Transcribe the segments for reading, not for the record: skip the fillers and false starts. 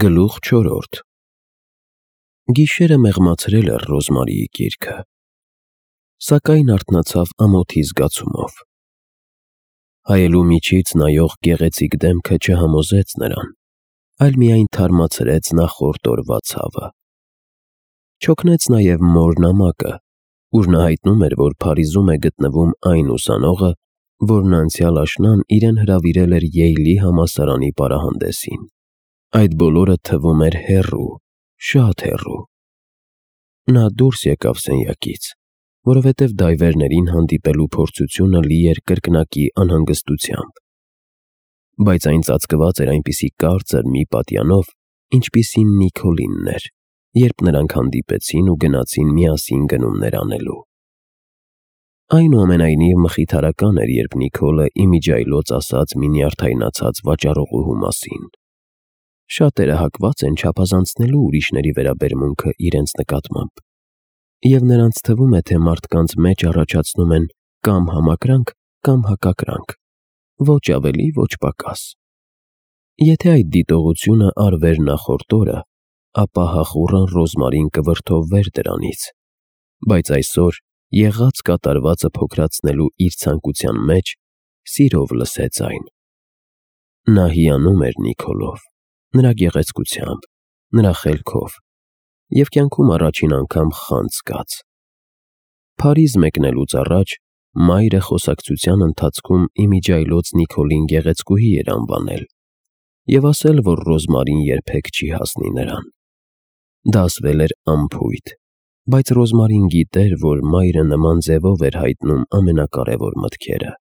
Գլուխ 4 Գիշերը մեղմացրել էր Ռոզմարիի գիրքը, սակայն արթնացավ ամոթի զգացումով։ Հայելու միջից նայող գեղեցիկ դեմքը չհամոզեց նրան, այլ միայն թարմացրեց նախորդ օրվա ցավը։ Չօգնեց նաև մոր նամակը, ուր նա հայտնում էր, որ Փարիզում է գտնվում այն ուսանողը, որն անցյալ աշնան իրեն հրավիրել էր Յեյլի համալսարանի պարահանդեսին։ Այդ բոլորը թվում էր հեռու, շատ հեռու։ Նա դուրս եկավ սենյակից, որովհետև դայվերներին հանդիպելու փորձությունը լի էր կրկնակի անհանգստությամբ։ Բայց այն ծածկված էր այնպիսի կարծր մի պատյանով, ինչպիսին Նիկոլինն էր, երբ նրանք հանդիպեցին ու գնացին միասին գնումներ անելու։ Այնուամենայնիվ մխիթարական էր, երբ Նիկոլը իմիջիայլոց ասաց մի նյարդայնացած վաճառողուհու մասին։ Շատերը հակված են չափազանցնելու ուրիշների վերաբերմունքը իրենց նկատմամբ, և նրանց թվում է, թե մարդկանց մեջ առաջացնում են կամ համակրանք, կամ հակակրանք, ոչ ավելի, ոչ պակաս։ Եթե այդ դիտողությունը արվեր նախորդ օրը, ապա հախուռն Ռոզմարին կվրդովվեր դրանից, բայց այսօր եղած կատարվածը փոքրացնելու իր ցանկության մեջ սիրով լսեց այն։ Նա հիանում էր Նիկոլով, նրա գեղեցկությամբ, նրա խելքով, և կյանքում առաջին անգամ խանձ զգաց։ Փարիզ մեկնելուց առաջ մայրը խոսակցության ընթացքում իմիջիայլոց Նիկոլին գեղեցկուհի էր անվանել և ասել, որ Ռոզմարին երբեք չի հասնի նրան։ Դա ասվել էր անփույթ, բայց Ռոզմարին գիտեր, որ մայրը նման ձևով էր հայտնում ամենակարևոր մտքերը։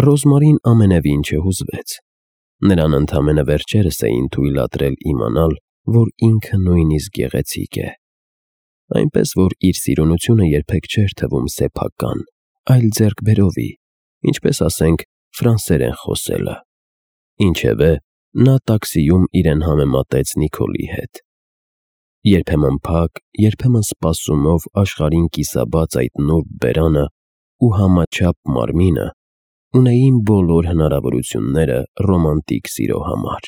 Ռոզմարին ամենևին չհուզվեց։ Նրան ընդամենը վերջերս էին թույլատրել իմանալ, որ ինքը նույնիսկ գեղեցիկ է, այնպես որ իր սիրունությունը երբեք չէր թվում սեփական, այլ ձեռքբերովի, ինչպես ասենք ֆրանսերեն խոսելը։ Ինչևէ, նա տաքսիում իրեն համեմատեց Նիկոլի հետ։ Երբեմն փակ, երբեմն սպասումով աշխարհին կիսաբաց այդ նուրբ բերանը ու համաչափ մարմինը ունեին բոլոր հնարավորությունները ռոմանտիկ սիրո համար։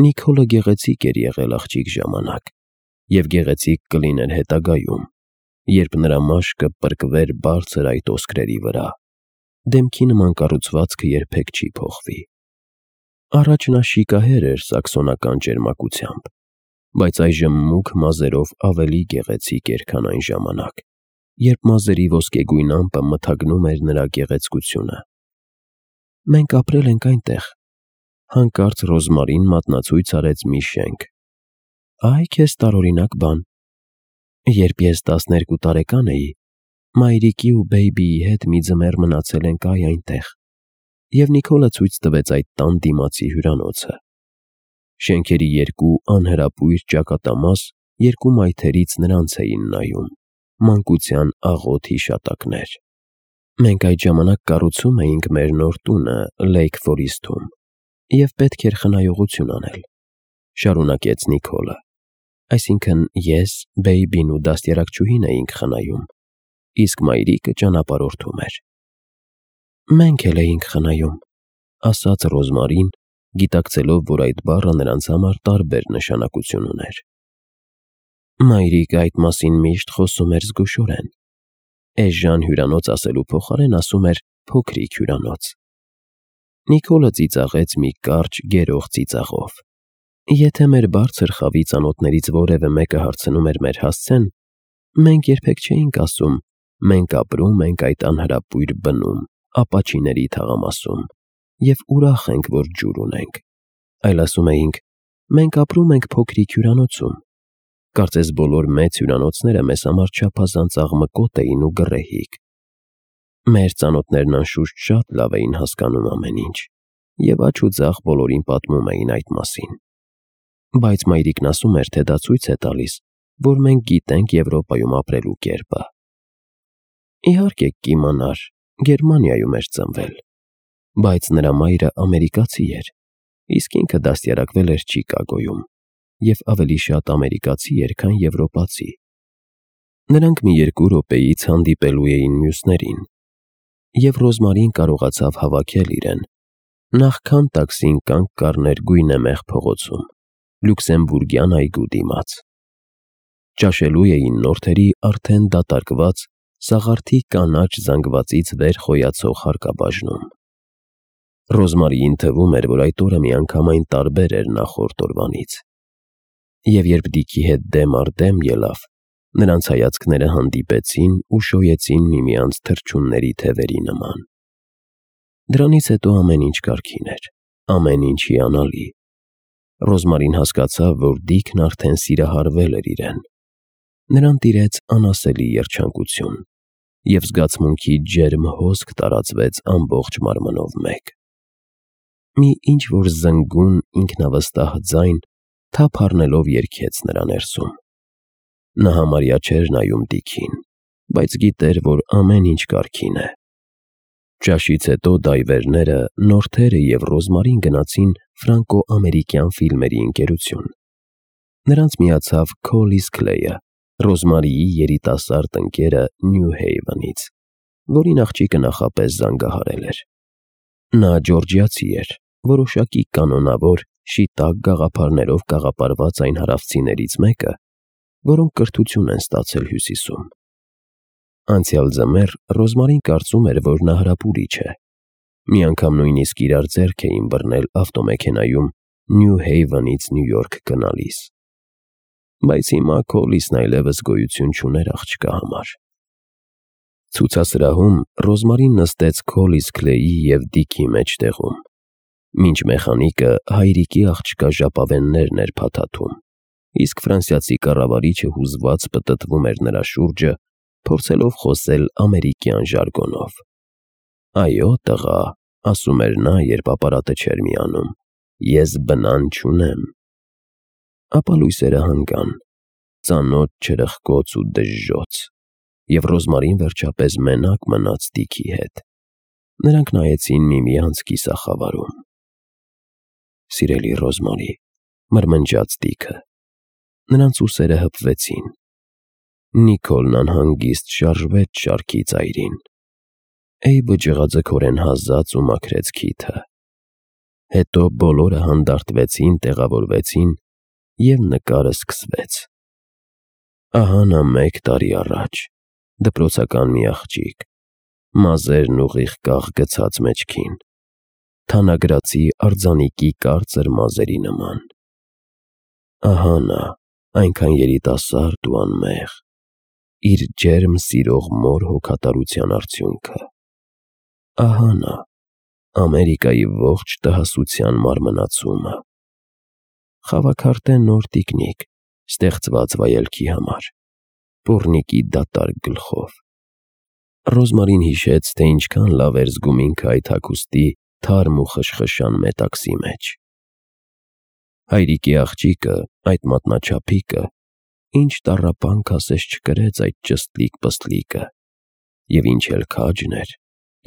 Նիկոլը գեղեցիկ էր եղել աղջիկ ժամանակ և գեղեցիկ կլիներ հետագայում, երբ նրա մաշկը պրկվեր բարձր այդ ոսկրերի վրա, դեմքի նման կառուցվածքը երբեք չի փոխվի։ Առաջ նա շիկահեր էր սաքսոնական ճերմակությամբ, բայց այժմ մուգ մազերով ավելի գեղեցիկ էր, քան այն ժամանակ, երբ մազերի ոսկեգույն ամպը մթագնում էր նրա գեղեցկությունը։ Մենք ապրել ենք այնտեղ, հանկարծ Ռոզմարին մատնացույց արեց մի շենք։ Այ քեզ տարօրինակ բան։ Երբ ես 12 տարեկան էի, մայրիկի ու բեյբիի հետ մի ձմեռ մնացել ենք այնտեղ, և Նիկոլը ցույց տվեց այդ տան դիմացի հյուրանոցը։ Շենքերի երկու անհրապույր ճակատամաս երկու մայթերից նրանց էին նայում, մանկության աղոտ հիշատակներ։ Մենք այդ ժամանակ կառուցում էինք մեր նոր տունը Լեյք Ֆորիսթում, և պետք էր խնայողություն անել, շարունակեց Նիկոլը։ Այսինքն ես, բեյբին ու դաստիարակչուհին էինք խնայում, իսկ մայրիկը ճանապարհորդում էր։ Մենք էլ էինք խնայում, ասաց Ռոզմարին, գիտակցելով, որ այդ բառը նրանց համար տարբեր նշանակություն ուներ։ Մայրիկը այդ մասին միշտ խոսում էր զգուշորեն։ Էժան հյուրանոց ասելու փոխարեն ասում էր փոքրիկ հյուրանոց։ Նիկոլը ծիծաղեց մի կարճ գերող ծիծաղով։ Եթե մեր բարձր խավի ծանոթներից որևէ մեկը հարցնում էր մեր հասցեն, մենք երբեք չէինք ասում. մենք ապրում ենք այդ անհրապույր բնում, ապաչիների թաղամասում, և ուրախ ենք, որ ջուր ունենք, այլ ասում էինք. մենք ապրում ենք փոքրիկ հյուրանոցում։ Կարծես բոլոր մեծ հյուրանոցները մեզ համար չափազանց աղմկոտ էին ու գռեհիկ։ Մեր ծանոթներն անշուշտ շատ լավ էին հասկանում ամեն ինչ, և աջ ու ձախ բոլորին պատմում էին այդ մասին։ Բայց մայրիկն ասում էր, թե դա ցույց է տալիս, որ մենք գիտենք Եվրոպայում ապրելու կերպը։ Իհարկե կիմանար, Գերմանիայում էր ծնվել, բայց նրա մայրը ամերիկացի էր, իսկ ինքը դաստիարակվել էր Չիկագոյում, և ավելի շատ ամերիկացի էր, քան եվրոպացի։ Նրանք մի 2 րոպեից հանդիպելու էին մյուսներին, և Ռոզմարին կարողացավ հավաքել իրեն, Նախքան տաքսին կանգ կառներ գույնեմեղ փողոցում, Լյուքսեմբուրգյան այգու դիմաց։ Ճաշելու էին նորթերի արդեն դատարկված սաղարթի կանաչ զանգվածից վեր խոյացող հարկաբաժնում։ Ռոզմարիին թվում էր, որ այդ օրը միանգամայն տարբեր էր նախորդ օրվանից։ Եվ երբ Դիքի հետ դեմ առ դեմ ելավ, նրանց հայացքները հանդիպեցին ու շոյեցին միմյանց թռչունների թևերի նման։ Դրանից հետո ամեն ինչ կարգին էր, ամեն ինչ հիանալի։ Ռոզմարին հասկացավ, որ Դիքն արդեն սիրահարվել էր իրեն։ Նրան տիրեց անասելի երջանկություն, և զգացմունքի ջերմ հոսք տարածվեց ամբողջ մարմնով մեկ։ Մի ինչ-որ զնգուն ինքնավստահ ձայն թափ առնելով երգեց նրա ներսում։ Նա համարյա չէր նայում Դիքին, բայց գիտեր, որ ամեն ինչ կարգին է։ Ճաշից հետո դայվերները, նորթերը և Ռոզմարին գնացին ֆրանկո-ամերիկյան ֆիլմերի ընկերություն։ Նրանց միացավ Քոլիս Քլեյը, Ռոզմարիի երիտասարդ ընկերը Նյու Հեյվենից, որին աղջիկը նախապես զանգահարել էր։ Նա ջորջիացի էր, որոշակի կանոնավոր, շիտակ գաղափարներով կաղապարված այն հարավցիներից մեկը, որոնք կրթություն են ստացել Հյուսիսում։ Անցյալ ձմեռ Ռոզմարին կարծում էր, որ նա հրապուրիչ է։ Մի անգամ նույնիսկ իրար ձեռք էին բռնել ավտոմեքենայում Նյու Հեյվենից Նյու Յորք գնալիս։ Բայց հիմա Քոլիսն այլևս գոյություն չուներ աղջկա համար։ Ցուցասրահում Ռոզմարին նստեց Քոլիս Քլեյի և Դիքի մեջտեղում, մինչ մեխանիկը հայրիկի աղջկա ժապավեններն էր փաթաթում, իսկ ֆրանսիացի կառավարիչը հուզված պտտվում էր նրա շուրջը, փորձելով խոսել ամերիկյան ժարգոնով։ «Այո, տղա», ասում էր նա, երբ ապարատը չէր միանում, «ես բնան չունեմ»։ Ապա լույսերը հանգան, ծանոթ չրխկոց ու դժժոց, և Ռոզմարին վերջապես մենակ մնաց Դիքի հետ։ Նրանք նայեցին միմյանց կիսախավարում։ «Սիրելի Ռոզմարի», մրմնջաց Դիքը։ Նրանց ուսերը հպվեցին։ Նիկոլն անհանգիստ շարժվեց շարքի ծայրին։ Էյբը ջղաձգորեն հազաց ու մաքրեց քիթը։ Հետո բոլորը հանդարտվեցին, տեղավորվեցին, և նկարը սկսվեց։ Ահա նա 1 տարի առաջ, դպրոցական մի աղջիկ, մազերն ուղիղ կաղ գցած մեջքին, թանագրացի արձանիկի կարծր մազերի նման։ Ահա նա, այնքան երիտասարդ ու անմեղ, իր ջերմ սիրող մոր հոգատարության արդյունքը։ Ահա նա, Ամերիկայի ողջ տհասության մարմնացումը։ Խավաքարտե նոր տիկնիկ, ստեղծված վայելքի համար, պոռնիկի դատարկ գլխով։ Ռոզմարին հիշեց, թե ինչքան լավ էր զգում ինքը այդ հագուստի թարմ ու խշխշան մետաքսի մեջ։ Հայրիկի աղջիկը, այդ մատնաչափիկը, ինչ տառապանք ասես չկրեց այդ ճստլիկ-պստլիկը, և ինչ էլ քաջն էր,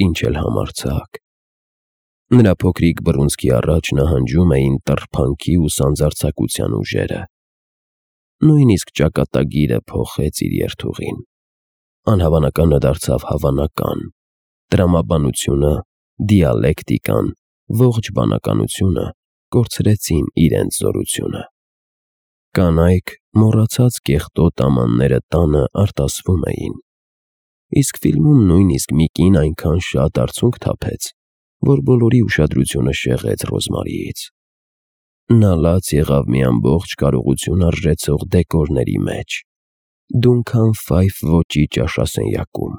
ինչ էլ համարձակ։ Նրա փոքրիկ բռունցքի առաջ նահանջում էին տռփանքի ու սանձարձակության ուժերը։ Նույնիսկ ճակատագիրը փոխեց իր երթուղին։ Անհավանականը դարձավ հավանական, տրամաբանությունը, դիալեկտիկան, ողջ բանականությունը կորցրեցին իրենց զորությունը։ Կանայք, մոռացած կեղտոտ ամանները տանը արտասվում էին, իսկ ֆիլմում նույնիսկ մի կին այնքան շատ արցունք թափեց, որ բոլորի ուշադրությունը շեղեց Ռոզմարիից։ Նա լաց եղավ մի ամբողջ կարողություն արժեցող դեկորների մեջ, դունքան ֆայֆ ոճի ճաշասենյակում,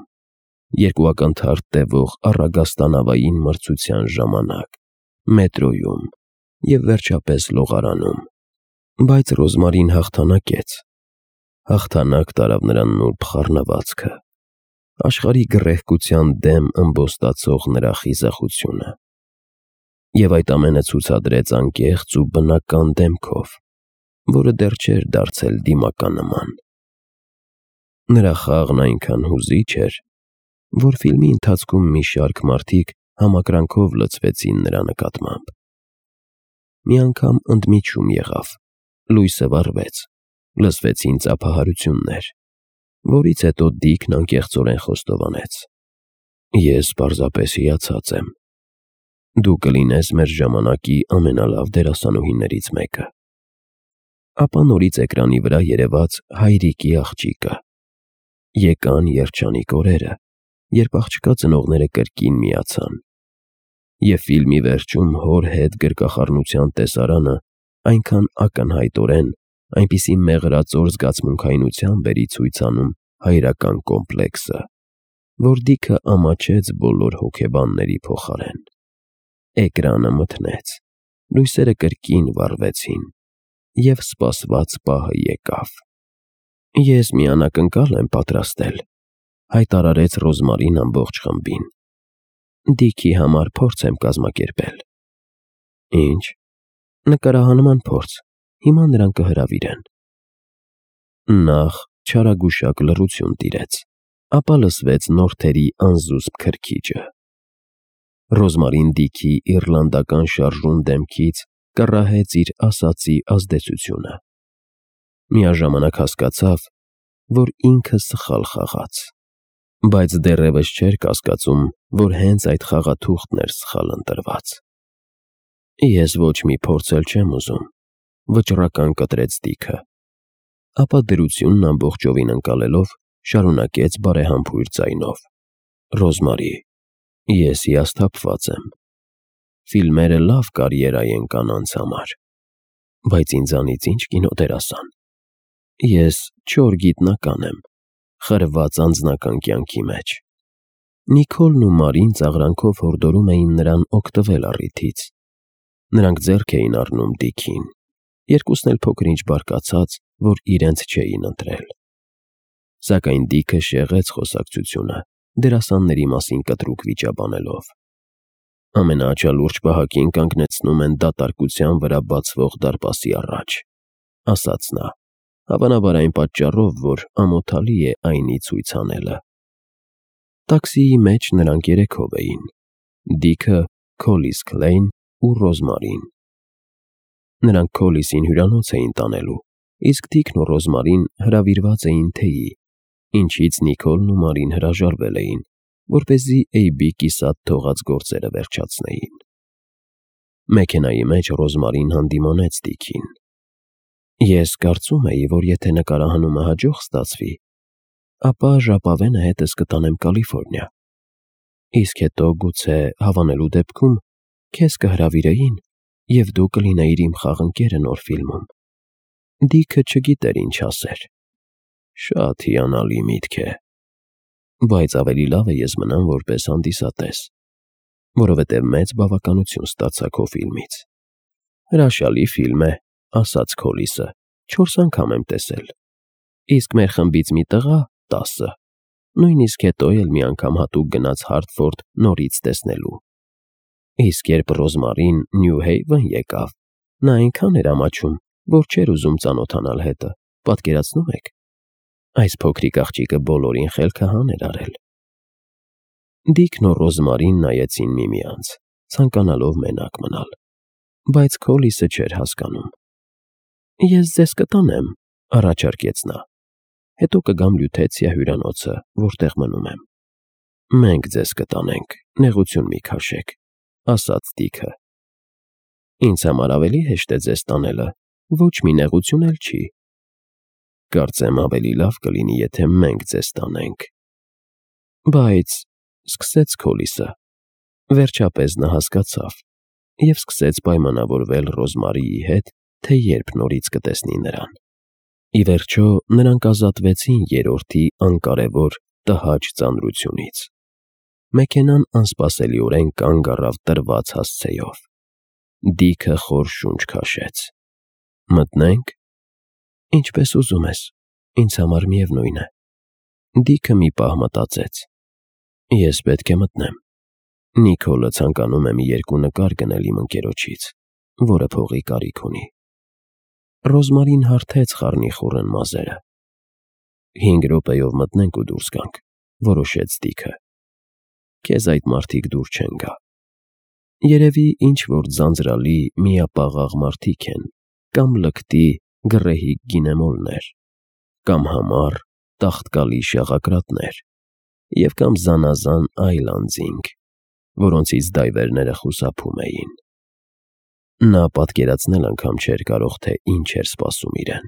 2 ակնթարթ տևող առագաստանավային մրցության ժամանակ, մետրոյում և վերջապես լողարանում։ Բայց Ռոզմարին հաղթանակեց։ Հաղթանակ տարավ նրան նուրբ խառնվածքը, աշխարհի գռեհկության դեմ ըմբոստացող նրա խիզախությունը։ Եվ այդ ամենը ցուցադրեց անկեղծ ու բնական դեմքով, որը դեռ չէր դարձել դիմականնման։ Նրա խաղն այնքան հուզիչ էր, որ ֆիլմի ընթացքում մի շարք մարդիկ համակրանքով լցվեցին նրա նկատմամբ։ Մի անգամ ընդմիջում եղավ, լույսը վառվեց, լսվեցին ծափահարություններ, որից հետո Դիքն անկեղծորեն խոստովանեց. «Ես պարզապես հիացած եմ»։ Դու կլինես մեր ժամանակի ամենալավ դերասանուհիներից մեկը։ Ապա նորից էկրանի վրա երևաց հայրիկի աղջիկը։ Եկան երջանիկ օրերը, երբ աղջկա ծնողները կրկին միացան։ Եվ ֆիլմի վերջում հոր հետ գրկախառնության տեսարանը այնքան ակնհայտորեն, այնպիսի մեղրածոր զգացմունքայնությամբ էր ցույց անում հայրական կոմպլեքսը, որ Դիքը ամաչեց բոլոր հոգեբանների փոխարեն։ Էկրանը մթնեց, լույսերը կրկին վառվեցին, և սպասված պահը եկավ։ Ես մի անակնկալ եմ պատրաստել, հայտարարեց Ռոզմարին ամբողջ խմբին։ Դիքի համար փորձ եմ կազմակերպել։ Ինչ։ Նկարահանման փորձ, հիմա նրան կհրավիրեն։ Նախ չարագուշակ լռություն տիրեց, ապա լսվեց նորթերի անզուսպ քրքիջը։ Ռոզմարին Դիքի իռլանդական շարժուն դեմքից կռահեց իր ասածի ազդեցությունը։ Միաժամանակ հասկացավ, որ ինքը սխալ խաղաց, բայց դեռևս չէր կասկածում, որ հենց այդ խաղաթուղթն էր սխալ ընտրված։ Ես ոչ մի փորձ էլ չեմ ուզում, վճռական կտրեց Դիքը, ապա դրությունն ամբողջովին ընկալելով շարունակեց բարեհամբույր ձայնով. Ռոզմարի, ես հիասթափված եմ։ Ֆիլմերը լավ կարիերա են կանանց համար, բայց ինձանից ինչ կինոդերասան։ Ես չոր գիտնական եմ, խրված անձնական կյանքի մեջ։ Նիկոլն ու Մարին ծաղրանքով հորդորում էին նրան օգտվել առիթից։ Նրանք ձեռք էին առնում Դիքին, երկուսն էլ փոքր-ինչ բարկացած, որ իրենց չէին ընտրել։ Սակայն Դիքը շեղեց խոսակցությունը, դերասանների մասին կտրուկ վիճաբանելով։ Ամենաաչալուրջ պահակին կանգնեցնում են դատարկության վրա բացվող դարպասի առաջ, ասաց նա, հավանաբար այն պատճառով, որ ամոթալի է այնի ցույց անելը։ Տաքսիի մեջ նրանք երեքով էին. Դիքը, Քոլիս Քլեյն ու Ռոզմարին։ Նրանք Քոլիսին հյուրանոց էին տանելու, իսկ Դիքն ու Ռոզմարին հրավիրված էին թեյի, ինչից Նիկոլն ու Մարին հրաժարվել էին, որպեսզի Էյբի կիսատ թողած գործերը վերջացնեին։ Մեքենայի մեջ Ռոզմարին հանդիմանեց Դիքին։ Ես կարծում էի, որ եթե նկարահանումը հաջող ստացվի, ապա ժապավենը հետս կտանեմ Կալիֆոռնիա։ Իսկ հետո գուցե հավանելու դեպքում քեզ կհրավիրեին, և դու կլինեիր իմ խաղընկերը նոր ֆիլմում։ Դիքը չգիտեր ինչ ասեր։ Շատ հիանալի միտք է, բայց ավելի լավ է ես մնամ որպես հանդիսատես, որովհետև մեծ բավականություն ստացա քո ֆիլմից։ Հրաշալի ֆիլմ է, ասաց Քոլիսը, 4 անգամ եմ տեսել, իսկ մեր խմբից մի տղա 10, նույնիսկ հետո էլ մի անգամ հատուկ գնաց Հարթֆորդ նորից տեսնելու։ Իսկ երբ Ռոզմարին Նյու Հեյվեն եկավ, նա այնքան էր ամաչում, որ չէր ուզում ծանոթանալ հետը, պատկերացնում եք։ Այս փոքրիկ աղջիկը բոլորին խելքահան էր արել։ Դիքն ու Ռոզմարին նայեցին միմյանց, ցանկանալով մենակ մնալ, բայց Քոլիսը չէր հասկանում։ Ես ձեզ կտանեմ, առաջարկեց նա։ Հետո կգամ Լյութեցիա հյուրանոցը, որտեղ մնում եմ։ Մենք ձեզ կտանենք, նեղություն մի քաշեք, ասաց Դիքը։ Ինձ համար ավելի հեշտ է ձեզ տանելը, ոչ մի նեղություն էլ չի։ Կարծեմ ավելի լավ կլինի, եթե մենք ձեզ տանենք։ Բայց, սկսեց Քոլիսը, վերջապես նա հասկացավ և սկսեց պայմանավորվել Ռոզմարիի հետ, թե երբ նորից կտեսնի նրան։ Ի վերջո նրանք ազատվեցին երրորդի անկարևոր տհաճ ծանրությունից։ Մեքենան անսպասելիորեն կանգ առավ տրված հասցեով։ Դիքը խոր շունչ քաշեց։ Մտնե՞նք։ Ինչպես ուզում ես, ինձ համար միևնույն է։ Դիքը մի պահ մտածեց։ Ես պետք է մտնեմ։ Նիկոլը ցանկանում է մի 2 նկար գնել իմ ընկերոջից, որը փողի կարիք ունի։ Ռոզմարին հարթեց խառնիխուռն մազերը։ 5 րոպեով մտնենք ու դուրս գանք, որոշեց Դիքը։ Քեզ այդ մարդիկ դուր չեն գա։ Երևի ինչ-որ ձանձրալի միապաղաղ մարդիկ են, կամ լկտի գռեհիկ գինեմոլներ, կամ համառ տաղտկալի շաղակրատներ, և կամ զանազան այլ անձինք։ որոնցից դայվերները խուսափում էին։ Նա պատկերացնել անգամ չէր կարող, թե ինչ էր սպասում իրեն։